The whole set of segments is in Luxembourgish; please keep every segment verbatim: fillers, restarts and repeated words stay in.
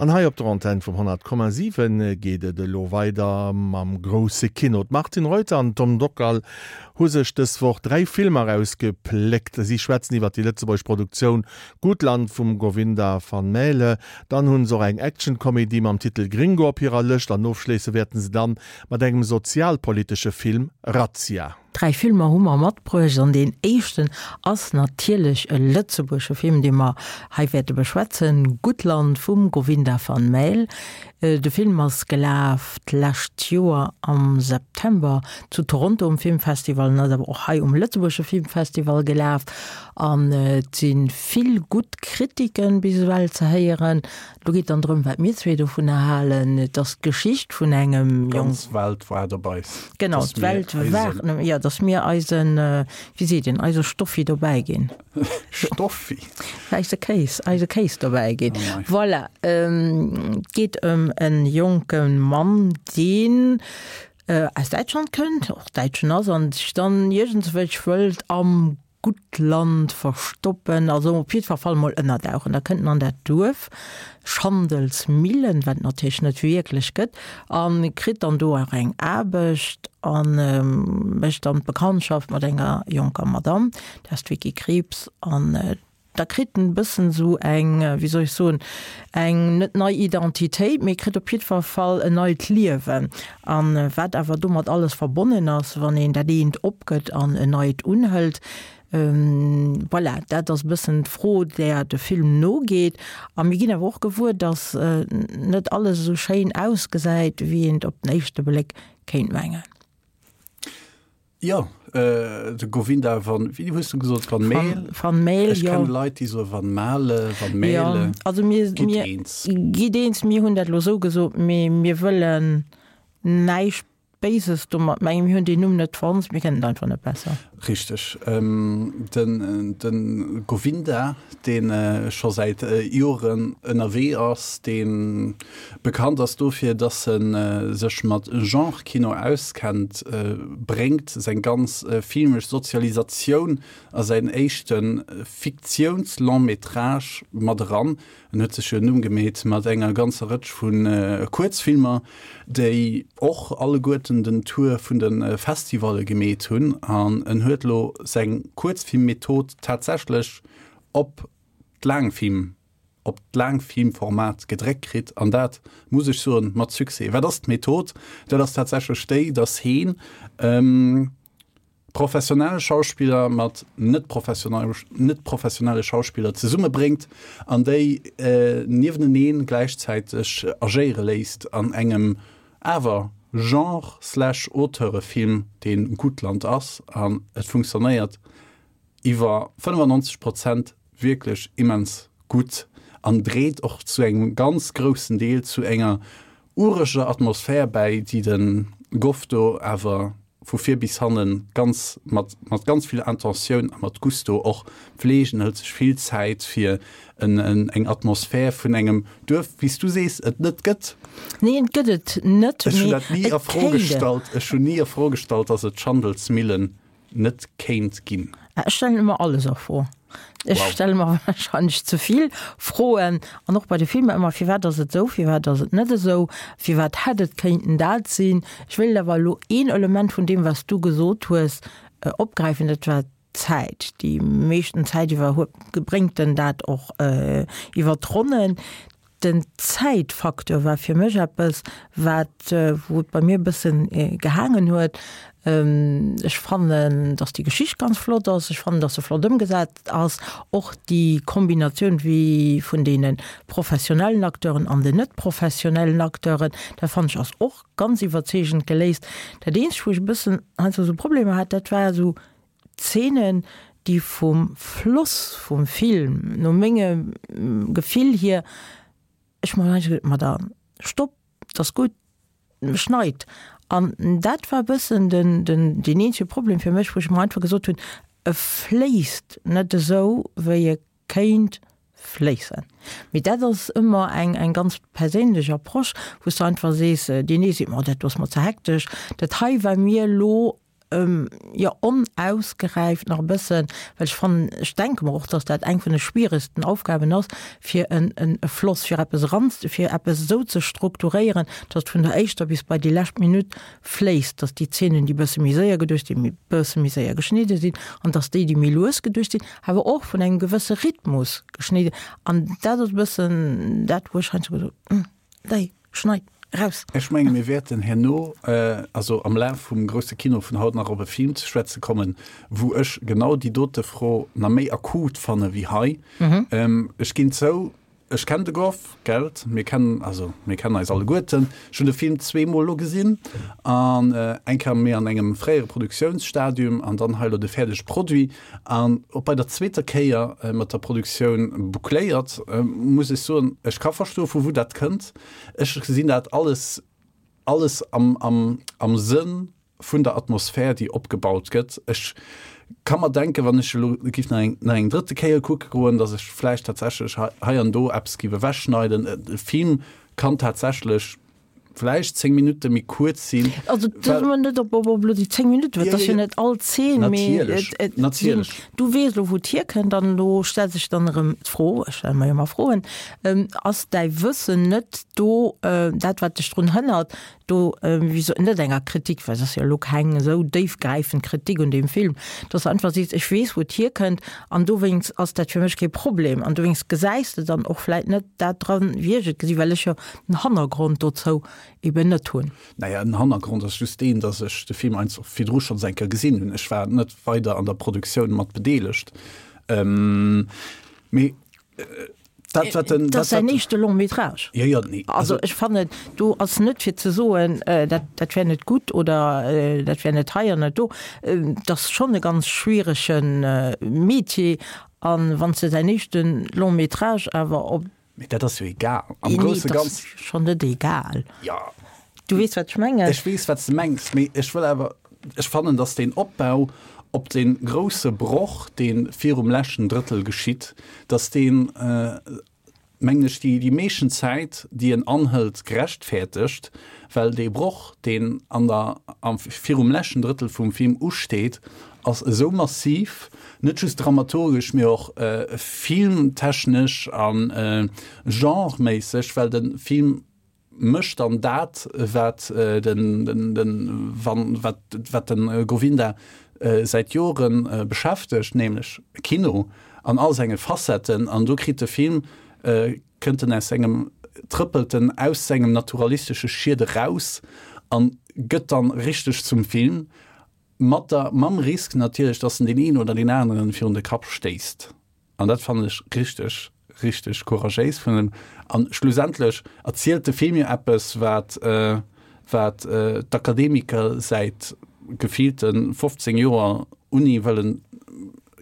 An hei op der Antenn vum honnert Komma siwen geet et elo weider mam grousse Kino. D'Martine Reuter an Tom Dockal hu sech dës Woch dräi Filmer erausgepléckt. Si schwätzen iwwer déi lëtzebuergesch Produktioun Gutland vum Govinda van Maele. Dann hu se och eng Action-Komedie mam Titel Gringo op hirer Lëscht an ofschléisse wäerten se dann mat engem sozialpolitesche Film Razzia. Dräi Filmer hu mer matbruecht an deen éischten ass natierlech e lëtzebuergesche Film, dee mer hei wäerte beschwätzen, Gutland vum Govinda van Maele. De Film ass gelaf d'lescht Joer am September zu Toronto um Filmfestival an ass awer och hei um lëtzebuergesche Filmfestival gelaf an et si vill gutt Kritiken bis ewell ze héieren. Do geet dann drëm, wat mir zwee dovunner halen. Et ass d'Geschicht vun engem Jong. D'ganz Welt waart op eis. Genau, d'Welt waart, jo, dass mir eisen, wéi seet een, eise Stoffi dobäi ginn. Stoffi? Eise Kéis, eise Kéis dobäi ginn. Voilà, et geet ëm e jonke Mann, deen aus Däitschland kënnt, och Däitschen ass an sech dann iergendswéi wëllt am Guttland verstoppen, also op jiddwer Fall mol ënnerdauchen. Da kënnt en an dat Duerf Schandelsmillen, wat et natierlech net wierklech gëtt, a kritt dann do och eng Aarbecht a mécht dann d'Bekanntschaft mat enger jonker Madamm, dat ass d'Vicky Krieps, an da kritt en e bëssen esou eng, wéi soll ech soen, eng net nei Identitéit, mee kritt op jiddwer Fall en neit Liewen. A wat awer domat alles verbonnen ass, wann een dat eent opgëtt an en neit unhëlt, voilà, dat ass e bëssen d'Fro, där de Film nogeet. A mir ginn awer och gewuer, datt net alles esou schéin ausgesäit, wéi een et op den éischte Bléck kéint mengen. Jo, de Govinda van, wéi hues du gesot, van Meel? Van Meel, jo. Ech kenne Leit, déi soe van Male, van Mele. Jo, also mir, Gitt eens. Gitt eens, mir hunn dat elo esou gesot, mee mir wëllen näischt Béises domat mengen. Mir hunn deen Numm net fonnt, mir kennen et einfach net besser. Richteg. Den, de Govinda, dee scho säit Joren ënnerwee ass, dee bekannt ass dofir, dass e sech mat Genre-Kino auskennt, bréngt seng ganz filmesch Sozialisatioun a säin éischte Fiktiouns-Long-métrage mat eran. En huet sech jo en Numm gemeet mat enger ganzer Rëtsch vu Kuerzfilmer, déi och alleguerten den Tour vun de Festivalle gemeet hunn. An en huet elo seng Kuerzfilmmethod tatsächlech op d'Laangfilm op d'Laangfilmformat gedréckt kritt, an dat, muss ech soen, mat Succès. Wat ass d'Method? Dat ass tatsächlech déi, datt heen professionell Schauspiller mat net net professionelle Schauspiller zesummebréngt an déi niewenenee gläichzäiteg agéiere léisst an engem awer Genre slash Auteurefilm, dee Gutland ass. An et funktionéiert iwwer fënnefannonzeg Prozent wierklech immens gutt an dréit och zu engem ganz groussen Deel zu enger ureger Atmosphär bäi, déi de Goff do awer vu vir bis hanne ganz mat mat ganz vill Intentioun a mat Gusto och fleegt. En hëlt sech vill Zäit fir en en eng Atmosphär vun engem Duerf, wéi s du sees, et net gëtt. Nee, et gëtt et net, Ech hunn mee dat ni et a Fro kéint et. gestallt. Ech hunn ni a Fro gestallt, datt et d'Schandelsmillen net kéint ginn. Ech stellen ëmmer alles a Fro. Ech Wow. stelle mer wahrscheinlech ze vill Froen an och bei de Filmer ëmmer, firwat ass et esou, firwat ass et net esou, firwat hätt et kéinten dat sinn. Ech wéilt awer elo een Element vun deem, wat s du gesot hues, opgräifen, dat war d'Zäit. Déi meeschten Zäit iwwer huet, bréngt en dat och iwwer d'Ronnen. Den Zäitfacteur war fir mech eppes, wat, wou et bei mir e bëssen gehaangen huet. Ech fannen, dass déi Geschicht ganz flott ass. Ech fannen, dass se flott ëmgesat ass. Och déi Kombinatioun wéi vun deene professionellen Acteuren an den net professionellen Acteuren, dat fannen ech ass och ganz iwwerzeegend geléist. Dat eenzegt, wou ech e bëssen heiansdo esou Problemer hat, dat war esou Zeenen, déi vum Floss vum Film, no mengem Gefill hier, ech mer heiansdo geduet, ma da stopp, 't ass gutt, schneit. An dat war e bëssen den, den, deen eenzege Problem fir mech, wou ech mer einfach gesot hunn, e fléisst net esou, wéi e kéint fléissen. Mee dat ass ëmmer eng, eng ganz perséinlech Approche, wou s de einfach sees, deen ee seet, ma dat do ass mer ze hektesch, dat hei war mir elo ähm, jo onausgeräift nach e bëssen, well ech fannen, ech denke mer och, dass dat eng vun de schwieregsten Aufgaben ass, fir en, en, e Floss, fir eppes eran, fir eppes esou ze strukturéieren, dass et vun der éischter bis bei déi lescht Minutt fléisst, dass déi Zeenen, déi bësse méi séier geduecht sinn, méi bësse méi séier geschnidde sinn an dass déi, déi méi lues geduecht sinn, awer och vun engem gewësse Rhythmus geschnidde. An dat ass e bëssen dat, wou ech heiansdo gesot, Déi, schneid raus. Ech menge mir wäerten herno, also am Laf vum grousse Kino vun haut nach op e Film ze schwätze kommen, wou ech genau déi dote Fro nach méi akut fanne wéi hei. Ech ginn zou, ech kennen de Goff, gelt, mir kennen, also mir kennen eis alleguerten. Ech hunn de Film zweemol elo gesinn an eng Kéier méi an engem fréiere Produktiounsstadium an dann hei elo de fäerdege Produit. An och bei der zweeter Kéier mat der Produktioun boucléiert, muss ech soen, ech ka verstoen, vu wou dat kënnt. Ech gesinn dat alles, alles am, am, am Sënn vun der Atmosphär, déi opgebaut gëtt. Ech ka mer denken, wann ech elo giff nach eng, nach eng drëtte Kéier kucke goen, datt ech vläicht tatsächlech hei, hei an do eppes giff ewechschneiden. E Film kann tatsächlech vläicht zéng Minutte méi kuerz sinn. Also dat well net op op op elo déi zéng Minutten, well et ass jo net all Zeen, mee Natierlech, et et sinn, natierlech. du weess elo wou et hierkënnt an elo stellt sech dann erëm d'Fro, ech stelle mer jo ëmmer Froen, ass däi Wëssen net do dat wat dech drun hënnert, do wéi so net enger Kritik, well et ass jo elo keng esou déifgräifend Kritik un deem Film, dass de einfach sees, ech weess wou et hierkënnt an dowéinst ass dat fir mech kee Problem an dowéinst gesäis de dann och vläit net dat dran, wéi ech et gesinn, well ech jo den Hannergrond dozou eben net hunn. Naja, den Hannergrond ass just deen, dass ech de Film einfach virdru schonns eng Kéier gesinn hunn. Ech war net weider an der Produktioun mat bedeelegt. Mee dat, wat den. Et ass säin éischte Long métrage. Jo, jo, nee. Also ech fannen, do ass net fir ze soen, dat, dat wär net gutt oder dat wär net hei an net do. Et ass schonn e ganz schwierege Metier. An wann s de däin éischte Long métrage awer op. Mee dat ass jo egal. Am grousse Ganzen. Nee, dat ass schonn net egal. Jo. Du weess, wat ech mengen. Ech weess, wat s de mengs, mee ech wëll awer, ech fannen, datt deen Opbau op dee grousse Broch, dee virum leschten Drëttel geschitt, datt deen, mengen ech, déi, déi meeschten Zäit, déi en anhëlt, gerechtfäertegt, well dee Broch, deen an der, am, virum leschten Drëttel vum Film usteet, ass esou massiv, net just dramaturgesch, mee och filmtechnesch a genreméisseg, well de Film mécht dann dat, wat den, den, wann, wat, wat de Govinda säit Jore beschäftegt, nämlech Kino an all senge Facetten. An do kritt de Film, kënnt en aus sengem, trëppelt en aus sengem naturalistesche Schied eraus a gëtt dann richteg zum Film. Mat der, mam Risk natierlech, dass en deen een oder deen aneren virun de Kapp stéisst. An dat fannen ech richteg, richteg couragéis vun em. An schlussendlech erzielt de Film jo eppes, wat, wat d'Akademiker säit gefillte fofzéng Joer Uni wëllen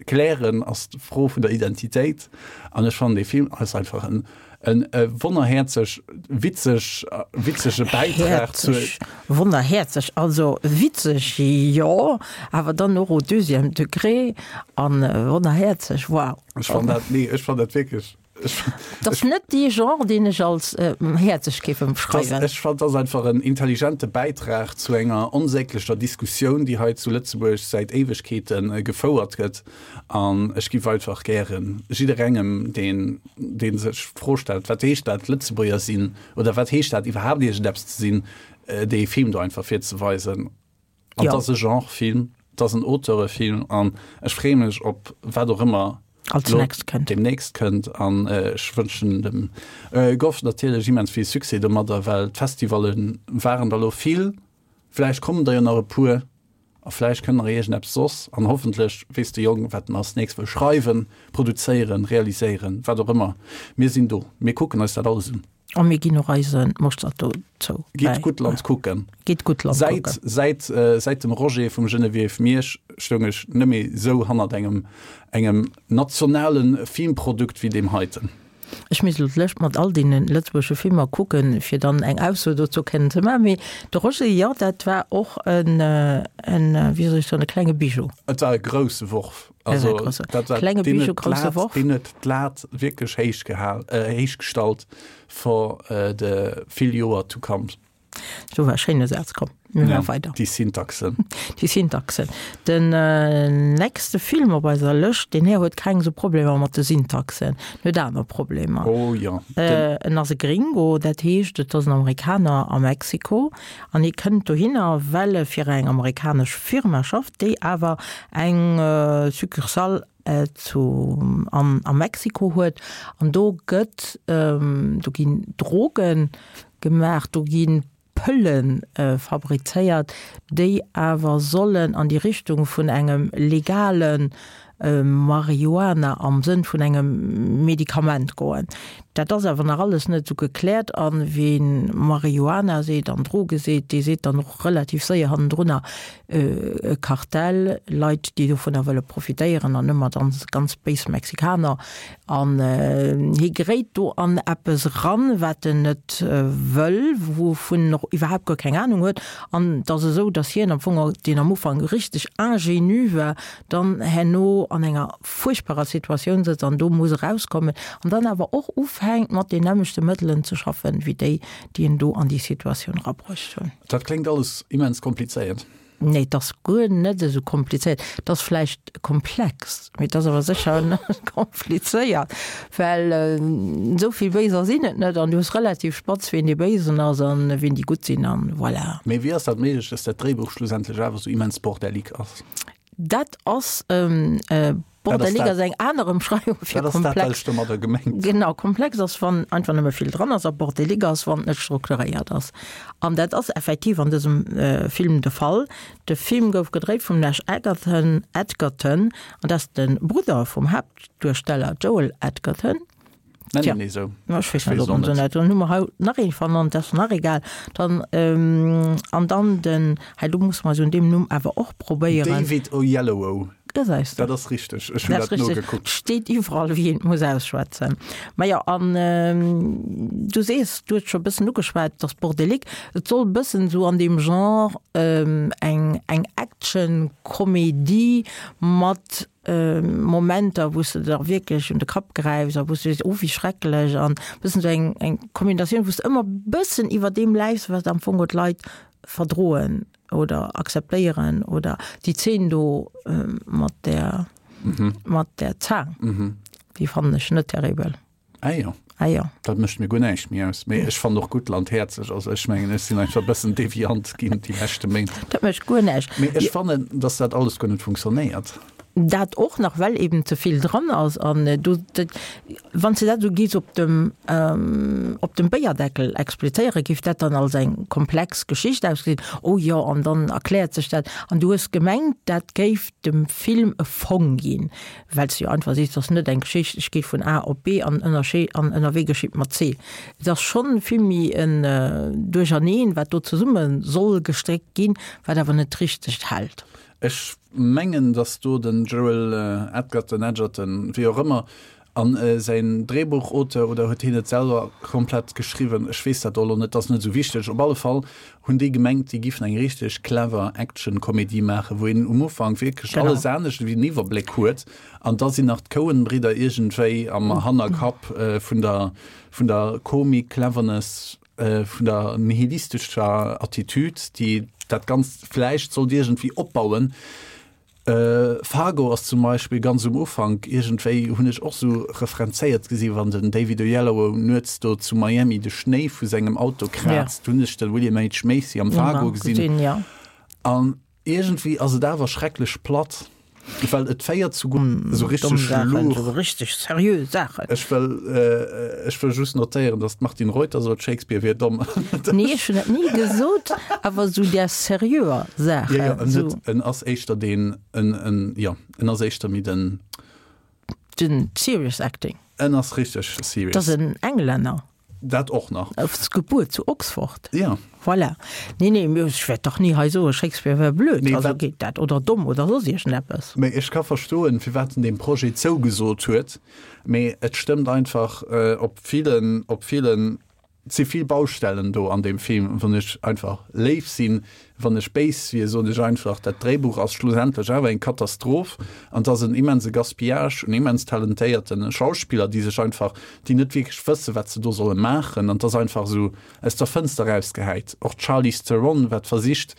klären, ass d'Fro vun der Identitéit. An ech fannen, dee Film ass einfach en, en wonnerhäerzeg witzeg, witzege Bäitrag zur. Häerzeg, wonnerhäerzeg, also witzeg, jo, awer dann och au deuxième degré an wonnerhäerzeg, wow. Ech fannen dat, nee, ech fannen dat wierklech. Et ass net dee Genre, deen ech als häerzeg géif ëmschreiwen. Ech fannen, et ass einfach en intelligente Bäitrag zu enger onsäglecher Diskussioun, déi hei zu Lëtzebuerg säit Éiwegkeete gefouert gëtt. An ech giff einfach gären jidderengem, deen, dee sech d'Fro stellt, Wat heescht dat, Lëtzebuerger sinn? Oder wat heescht dat iwwerhaapt, iergendeppes ze sinn? dee Film do einfach virzeweisen. An et ass e Genrefilm, et ass en Auteurefilm an ech freeë mech op wat och ëmmer Als nächst kënnt. Demnächst kënnt. An ech wënschen dem Goff natierlech immens vill Succès domadder, well d'Festivalle waren der elo vill. Vläicht kommen der jo nach e puer a vläicht kënnt nach iergendeppes soss. An hoffentlech weess de Jong, wat en als nächst wëll schreiwen, produzéieren, realiséieren, wat och ëmmer. Mir sinn do, mir kucken eis dat alles un. A mir ginn och eise Mostert dozou Gitt bäi. Guttland kucken. Gitt Guttland Säit, kucken. säit, säit dem Roger vum Geneviève Miersch stoung ech nëmme sou hannert engem, engem nationale Filmprodukt wéi deem heiten. Ech misst elo d'Lëscht mat all deene lëtzebuergesche Filmer kucken, fir dann eng Ausso dozou kënnen ze maachen. Mee de Roger, jo, dat war och en, en, wéi soll ech soen, e klenge Bijou. Et war e grousse Worf. Also, dat war, klenge deen Bijou, huet grousse d'Lat, Worf. deen huet d'Lat wierklech héich gehal, héich gestallt for de vill Joer to come. So war schéine Saz komm mir Ja, ja, weider. Déi Syntaxen. Déi Syntaxen. Den äh, nächste Film op eiser Lëscht, deen Här huet keng sou Problemer mat de Syntaxen, en huet aner Problemer. Oh ja. Den, Äh, en ass e Gringo, dat heescht, et ass en Amerikaner a Mexiko an hie kënnt dohinner, well e fir eng amerikanesch Firma schafft, déi awer eng äh, Succursale äh, zu am, a Mexiko huet an do gëtt ähm, do ginn Drogen gemaach, do ginn Pëllen äh, fabrizéiert, déi awer sollen an déi Richtung vun engem legalen äh, Marihuana am Sënn vun engem Medikament goen. Dat ass awer nach alles net sou gekläert an wien Marihuana seet an Droge seet, dee seet dann och relativ séier hannendrunner äh, e Kartell, Leit, déi dovunner wëlle profitéieren an ëmmer dann ganz béis Mexikaner an äh, hie geréit do an eppes ran, wat en net äh, wëll, wouvun en och iwwerhaapt guer keng Ahnung huet an et ass esou, dass hien am Fong, deen am Ufank richteg ingénu war, dann herno an enger furchtbarer Situatioun sëtzt an do muss erauskommen an dann awer och ufänkt mat den nämmlechte Mëttelen ze schaffen, wéi déi, déi en do an déi Situatioun erabruecht hunn. Dat kléngt alles immens komplizéiert. Nee, dat ass guer net esou komplizéiert. Dat ass vläicht komplex, mee dat ass awer sécher net komplizéiert, well esou vill Béiser sinn et net an du hues relativ spatz, wien dee Béisen ass an wien déi Gutt sinn an voilà. Mee wéi ass dat méiglech, dass dat Dréibuch schlussendlech awer esou immens bordellig ass? Dat ass bordellig ass eng aner Ëmschreiwung fir komplex. Genau, komplex ass wann einfach nëmme vill dran ass a bordellig ass wann et net strukturéiert ass. An dat ass effektiv an dësem Film de Fall. De Film gouf gedréit vum Nash Edgerton, Edgerton, an dat ass de Brudder vum Haaptduersteller Joel Edgerton. Nennen een esou. Ech weess net, ob en esou nennt. Dann hu mer haut nach een vernannt, dat ass nach egal. Dann, ähm, an dann den, hei do musse mer eis un deem Numm awer och probéieren. David Oyelowo. Gesäis de. Dat ass richteg, ech hunn Dat dat ass richteg. nogekuckt. Steet iwwerall, wéi een et muss ausschwätzen. Majo, an ähm, du sees, du hues scho e bëssen ugeschwat, et ass bordelique. Et soll e bëssen esou an deem Genre, ähm, eng, eng Action-Komedie mat Momenter, wou s de der wierklech un de Kapp gräifs a wou s du sees, oh wéi schrecklech an bëssen esou eng eng Kombinatioun, wou s de ëmmer bëssen iwwer deem leifs, wat am Fong d'Leit verdroen oder akzeptéieren oder déi Zeen do mat där mat där Zaang, déi fannen ech net terribel. Ah jo. Ah jo. Dat mécht mir guer näischt méi aus. Mee ech fannen och Guttland häerzlech. Also ech mengen, ech sinn einfach e bëssen deviant ginn déi leschte Méint. Dat mécht guer näischt. Mee ech fannen, dass dat alles guer net funktionéiert. Dat och nach, well eben ze vill dran ass. An do, dat, wann s de dat esou géifs op dem, op dem Béierdeckel explizéieren, géif dat dann als eng komplex Geschicht ausgesinn. Oh jo, an dann erkläert sech dat. An du hues gemengt, dat géif dem Film e Fong ginn. Well s de jo einfach sees, et ass net eng Geschicht, ech gi vun A op B an ënnerschee an ënnerwee geschitt mer C. Et ass schonn vill méi en Duercherneen, wat do zesumme soll gestréckt ginn, wat awer net richteg hält. Ech mengen, datt do den Joel Edgerton, Edgerton, wéi och ëmmer, an säin Dréibuchauteur, oder huet hien et selwer komplett geschriwwen, ech weess dat elo net, ass net esou wichteg, op alle Fall hunn déi gemengt, déi giffen eng richteg clever Action-Komedie maachen, wou een um Ufank wierklech alles anescht ewéi en Iwwerbléck huet, an da sinn nach d'Coen-Bridder iergendwéi am Hannerkapp vun der vun der Komik-Cleverness, vun der nihilistescher Attitüd, déi dat Ganzt vläicht sollt iergendwéi opbauen. Fargo ass zum Beispill ganz um Ufank iergendwéi, hunn ech och sou referenzéiert gesi wann den David Oyelowo nuets do zu Miami de Schnéi vu sengem Auto kraazt, hunn ech de William H. Macy am Fargo gesinn. An iergendwéi ass et awer schrecklech platt. Well et féiert zu esou richteg Saachen, esou richteg seriö Saachen. Ech wëll, ech wëll just notéieren, datt d'Martine Reuter sot, Shakespeare wier domm. Nee, ech hunn dat ni gesot, awer esou där seriöer Saachen. Jo, jo, en huet, en ass éischter deen, en, en, jo, en ass éischter méi den. Den serious acting. En ass richteg serious. Dat ass en Englänner. Dat och nach. Ass gebuer zu Oxford. Ja. Voilà. Nee, nee, mee ech wäert dach ni hei soen, Shakespeare wär blöd. Nee, Also wat. geet dat. Oder domm oder soss iergendeppes. Mee ech ka verstoen, firwat en deem Projet zougesot huet. Mee et stëmmt einfach op villen, op villen Et si vill Baustellen do an deem Film, wann ech einfach léif sinn. Wann ech béis wier, soen ech einfach, dat Dréibuch ass schlussendlech awer eng Katastroph an et ass en immense Gaspillage un immens talentéierte Schauspiller, déi sech einfach, déi net wierklech wëssen, wat se do solle maachen an et ass einfach esou aus der Fënster erausgehäit. Och d'Charlize Theron, wat versicht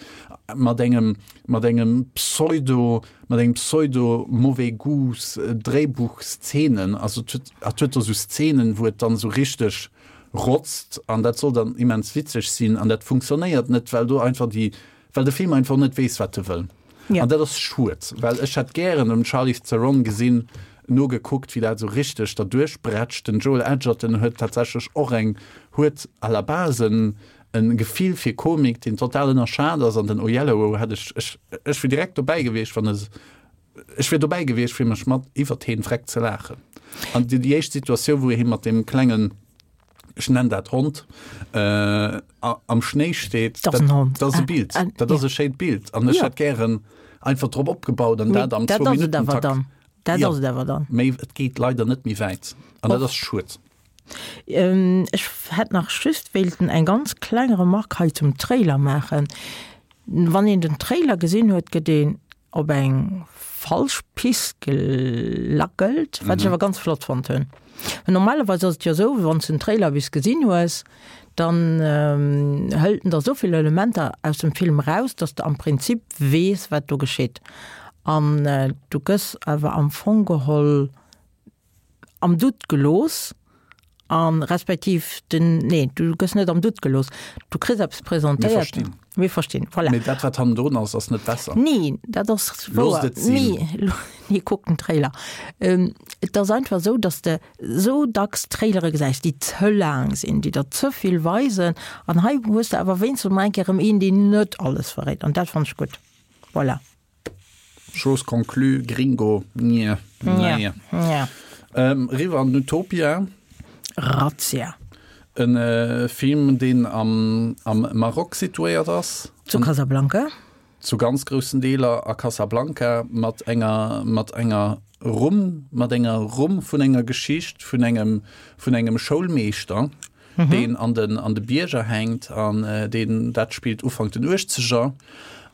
mat engem, mat engem Pseudo, mat engem Pseudo mauvais goûts Dréibuchszenen, also et huet, et huet do esou Szenen, wou et dann esou richteg rotzt an dat soll dann immens witzeg sinn an dat funktionéiert net, well do einfach déi, well de Film einfach net weess, wat e wëll. Ja. An dat ass schued, well ech hätt gären dem Charlize Theron gesinn, nogekuckt, wéi dat esou richteg derduerch brätscht. Den Joel Edgerton huet tatsächlech och eng, huet à la base en, en Gefill fir Komik, deen total ënnerschat ass an den Oyelowo hätt ech, ech, ech wier direkt dobäi gewiescht, wann e, ech wier dobäi gewiescht, fir mech mat iwwert heen freck ze laachen. An déi, déi éischt Situatioun, wou hie mat deem klengen, ech nennen dat Hond, am Schnéi steet, Dat ass en Hond. Dat ass e Bild, dat ass e schéint Bild an ech hätt gären einfach drop opgebaut an dat am Zwou-Minutten-Takt. Dat ass et awer dann. Méi, et geet leider net méi wäit an dat ass schued. Ech hätt nach just wéilten eng ganz kleng Remarque hei zum Trailer maachen. Wann een den Trailer gesinn huet, gëtt een op eng falsch Pist gelackelt, wat ech awer ganz flott fonnt hunn. Well normalerweis ass et jo esou, wann s de den Trailer bis gesinn hues, dann hëlt en der esou vill Elementer aus dem Film eraus, dass de am Prinzip weess, wat do geschitt. An du gëss awer am Fong geholl am Doute gelooss a respektiv den, nee, du gëss net am Doute gelooss, du kriss eppes Mir presentéiert. verstinn. Mir verstinn, voilà. Mee dat, wat hannendrun ass, ass net besser. Nee, dat ass wouer. Loosst et sinn. Nee, nee, kuck den Trailer. Et ass einfach esou, dass de esou dacks Trailere gesäis, déi ze laang sinn, déi der ze vill weisen. An hei hues de awer wéinstens emol eng Kéier erëm een, deen net alles verréit. An dat fannen ech gutt. Voilà. Chose conclue, Gringo, nje, naja. Ja. Ähm, riwwer an den Utopia. Razzia. En äh, Film, deen am, am Maroc situéiert ass. Zu Casablanca. Zu ganz groussen Deeler a Casablanca mat enger, mat enger Rumm, mat enger Rumm vun enger Geschicht vun engem, vun engem Schoulmeeschter, deen an den, an de Bierger hänkt an deen, dat spillt Ufank den Uechtzeger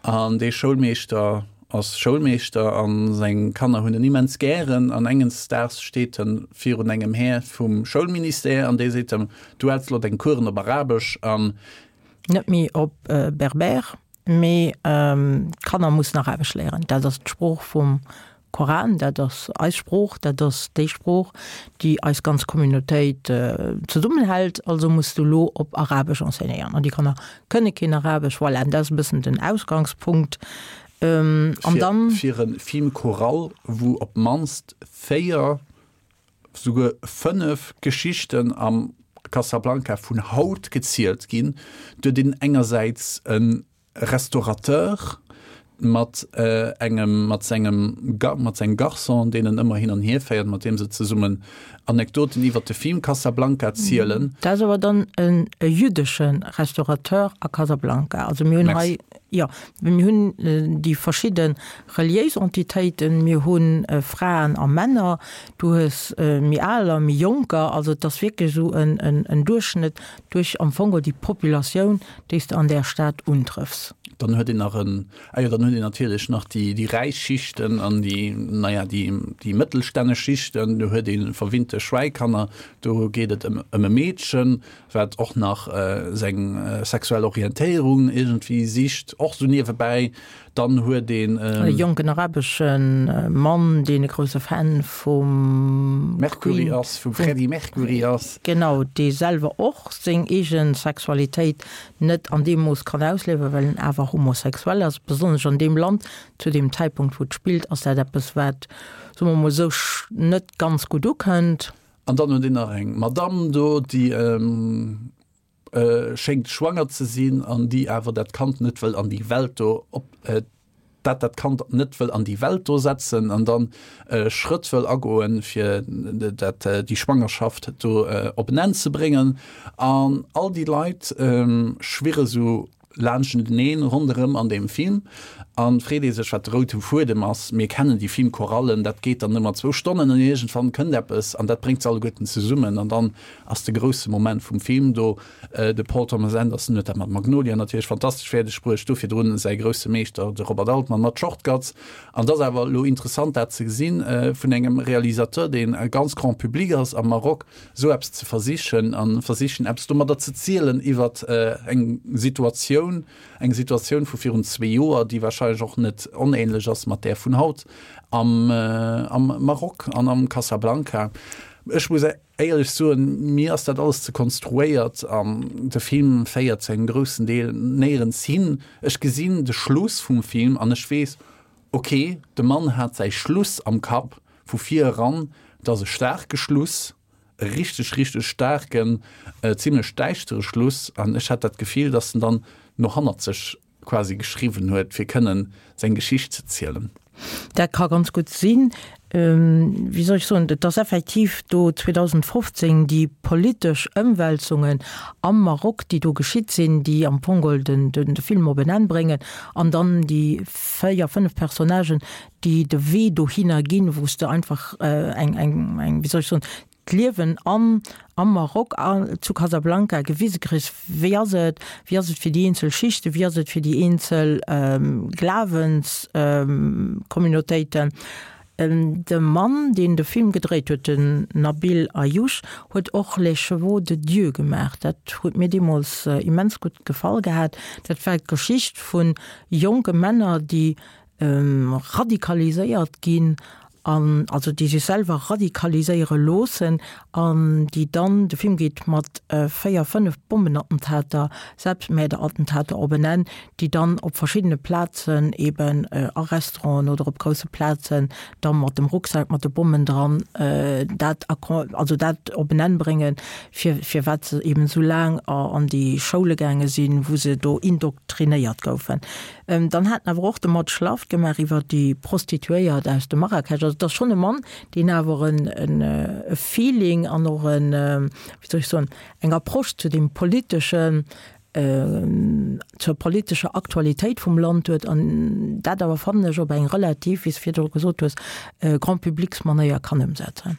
an dee Schoulmeeschter ass Schoulmeeschter a seng Kanner hunn en immens gären an engens Daags steet en virun engem Här vum Schoulministère an dee seet em, du häls elo deng Coursen op Arabesch an. Net méi op Berber, mee d'Kanner mussen Arabesch léieren. Dat ass d'Sprooch vum Koran, dat ass eis Sprooch, dat ass déi Sprooch, déi eis ganz Communautéit zesummenhält. Also muss du elo op Arabesch enseignéieren. An déi Kanner kënne keen Arabesch. Voilà, an dat ass e bëssen den Ausgangspunkt. An dann. Fir e Film choral, wou op d'mannst véier, souguer fënnef Geschichten am Casablanca vun haut gezielt ginn, huet een engersäits e Restaurateur mat engem, mat sengem, mat sengem Garçon, deen en ëmmer hin an hier féiert, mat deem se zesummen Anekdoten iwwer de Film Casablanca zielen. Dat ass awer dann e jüddesche Restaurateur a Casablanca. Also mir hunn hei, jo, mir hunn déi verschidde reliéis Entitéiten, mir hu Fraen a Männer, du hues méi Aler, méi Jonker, also et ass wierklech esou en Duerchschnëtt duerch am Fong geholl déi Populatioun, déi s de an där Stad untrëffs. Dann huet een nach en, ah jo, dann huet een natierlech nach déi, déi räich Schichten an déi, naja, déi, déi mëttelstänneg Schichten. Do huet ee verwinnte Schwäikanner. Do geet et ëm, ëm e Meedchen, wat och nach seng sexuell Orientéierung iergendwéi sicht, och sou niewebäi. Dann huet een. E jonken arabesche Mann, deen e grousse Fan vum Mercury ass, vum Freddie Mercury ass. Genau, dee selwer och seng eege Sexualitéit net an deem Mooss kann ausliewen, well en awer homosexuell ass. Besonnesch an deem Land, zu deem Zäitpunkt, wou et spillt, ass dat eppes, wat, soe mer mol esou, net ganz gutt ukënnt. An dann huet een nach eng Madamm do, déi schéngt schwanger ze sinn an déi awer dat Kand net wëll an déi Welt do op, dat dat Kand net wëll an déi Welt do setzen an dann Schrëtt wëll agoen, fir dat déi Schwangerschaft do op en Enn ze bréngen. An all déi Leit schwirre sou laanschteneen ronderëm an deem Film an freet ee sech wat de roude Fuedem ass. Mir kennen déi Filmchorallen, dat geet dann ëmmer zwou Stonnen an iergendwann kënnt eppes an dat bréngt se alleguerten zesummen an dann ass de grousse Moment vum Film do. De Paul Thomas Anderson huet dat mat Magnolia natierlech fantastesch fäerdeg bruecht, do virdrun säi grousse Meeschter de Robert Altman mat Short Cuts. An et ass awer elo interessant dat ze gesinn vun engem Realisateur, deen ganz grand public ass am Maroc, esou eppes ze versichen a versichen eppes domadder ze zielen iwwer eng Situatioun, eng Situatioun vu virun zwee Joer, déi wahrscheinlech och net onähnlech ass mat där vun haut am am Maroc an am Casablanca. Ech muss éierlech soen, mir ass dat alles ze konstruéiert an de Film féiert zu engem groussen Deel néierens hin. Ech gesinn de Schluss vum Film an ech weess, ok, de Mann hat säi Schluss am Kapp vu vir eran, et ass e staarke Schluss, e richteg, richteg staarken, zimlech däischtere Schluss an ech hat dat Gefill, dass en dann no hannerzeg quasi geschriwwen huet, fir kënnen seng Geschicht ze zielen. Dat ka ganz gutt sinn. Wéi soll ech soen, et ass effektiv do zweedausendfofzéng déi politesch Ëmwälzungen am Maroc, déi do geschitt sinn, déi am Fong geholl den, den, de Film op en Enn bréngen an dann déi véier, fënnef Personnagen, déi de Wee dohinner ginn, wou s de einfach eng, eng, eng, wéi soll ech soen, d'Liewen am am Maroc an zu Casablanca gewise kriss, wéi ass et, wéi ass et fir déi eenzel Schichten, wéi ass et fir déi eenzel Glawenscommunautéiten. De Mann, deen de Film gedréit huet, den Nabil Ayouch, huet och Les chevaux de Dieu gemaach. Dat huet mir deemools immens gutt gefall gehat. Dat war d'Geschicht vu jonke Männer, déi radikaliséiert ginn an also déi sech selwer radikaliséiere loossen an déi dann, de Film geet mat véier, fënnef Bombenattentater, Selbstmäerderattentater op en Enn, déi dann op verschiddene Plazen eben a Restauranten oder op grousse Plazen da mat dem Rucksak mat de Bommen dran dat also dat op en Enn bréngen, fir firwat se eben esou laang an déi Schoule gaange sinn, wou se do indoktrinéiert goufen. Dann hat en awer och de Mad Schlaft gemaach iwwer déi Prostituéiert aus dem Marrakesch. Also et ass schonn e Mann, deen awer en e Feeling an och en, wéi soll ech soen, eng Approche zu deem politeschen, zur politescher Aktualitéit vum Land huet an dat awer, fannen ech, op eng relativ, wéi s de virdru gesot hues, Grand-publics-Manéier kann ëmsetzen.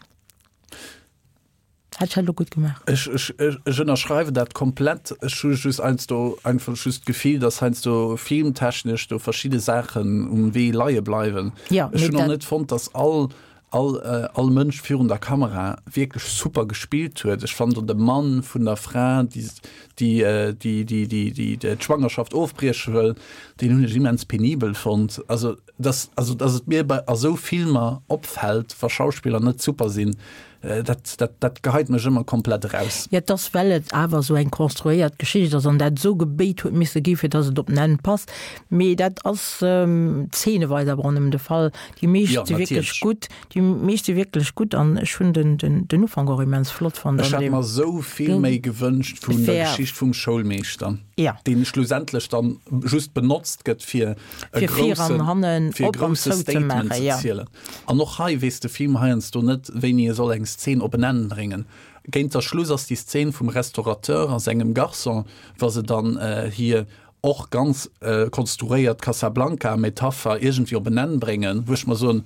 Hätt ech dat elo gutt gemaach? Ech, ech, ech ënnerschreiwen dat komplett. Ech hu just heiansdo einfach just d'Gefill, dass heiansdo filmtechnesch do verschidde Saachen um Wee leie bleiwen. Ja, Ech mee hunn och dat. net fonnt, dass all, all, all Mënsch virun der Kamera wierklech super gespillt huet. Ech fannen do de Mann vun der Fra, déi, déi, déi, déi, déi, déi d'Schwangerschaft ofbrieche wëll, deen hunn ech immens penibel fonnt. Also, dass, also, dass et mir bei a sou Filmer opfält, wa Schauspiller net super sinn, Dat, dat, dat geheit mech ëmmer komplett eraus. Jo, et ass, well et awer esou eng konstruéiert Geschicht ass an dat esou gebéit huet misse gi fir datt et op den Enn passt. Mee dat ass zeeneweis awer och nëmmen de Fall. Déi meescht Jo, si wierklech natierlech. gutt, déi meescht si wierklech gutt an ech hunn den, den, den Ufank och immens flott fonnt Ech an hätt deem mer esou vill méi gewënscht vun der Fair. Geschicht vum Schoulmeeschter, Ja. deen schlussendlech dann just benotzt gëtt fir e Fir vir an groussen, hannen fir e op an grousse zou ze Statement maachen, ze ja. zielen. An och hei weess de Film heiansdo net, wéini e soll eng Szen op en Enn bréngen. Géint der Schluss ass déi Szen vum Restaurateur a sengem Garçon, wa se dann hir och ganz konstruéiert Casablanca-Metapher iergendwéi op en Enn bréngen, wou ech mer soen,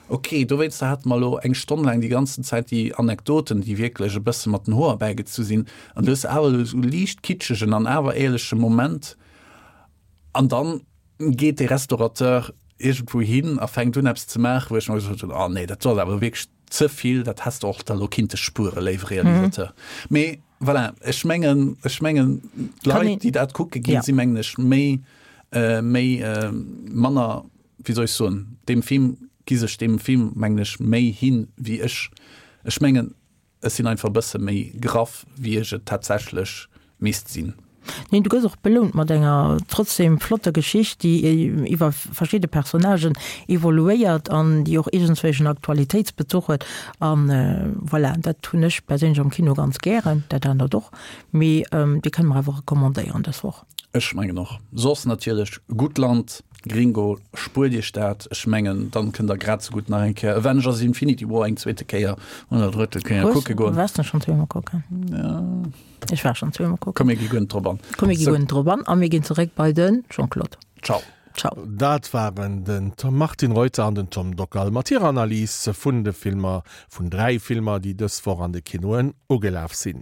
ok, dowéinster hate mer elo eng Stonn laang déi ganzen Zäit déi Anekdoten, déi wierklech e bësse mat den Hoer bäigezu sinn, an du hues awer elo esou liicht kitschegen an awer éierleche Moment. An dann geet dee Restaurateur iergendwou hin a fänkt un eppes ze maachen, wou ech mer gesot hunn, oh nee, dat ass awer wierklech ze vill, dat häss de och da lo kinnte spueren, léiwe Realisateur. Mee voilà, ech mengen, ech mengen, d'Leit, déi dat kucke ginn, si mengen ech méi, méi, manner, wéi soll ech soen, deem Film, gi sech deem Film, mengen ech, méi hin wéi ech. Ech mengen, Ech sinn einfach e bësse méi graff, wéi ech et tatsächlech misst sinn. Neen, du gëss och belount mat enger trotzdem flotter Geschicht, déi iwwer verschidde Personnagen evoluéiert an déi och iergendswéi en Aktualitéitsbezuch huet. An voilà, dat hunn ech perséinlech am Kino ganz gären, dat anert och, mee déi kënne mer awer recommandéieren dës Woch. Ech mengen och. Soss natierlech Guttland. Gringo, spuert Iech dat, ech mengen dann kënnt der grad sou gutt nach eng Kéier Avengers Infinity War eng zweete Kéier oder drëtte Kéier kucke goen. Waars de schonn zweemol kucken? Ja. Ech war schonn zweemol kucken. Komm mir gi guer net drop an. Komm mir gi guer net drop an a mir ginn zeréck bei de Jean-Claude. Ciao. Ciao. Dat waren den Martin Reuter an den Tom Dockal mat hirer Analys vun de Filmer, vun dräi Filmer, déi dës Woch an de Kinoen ugelaf sinn.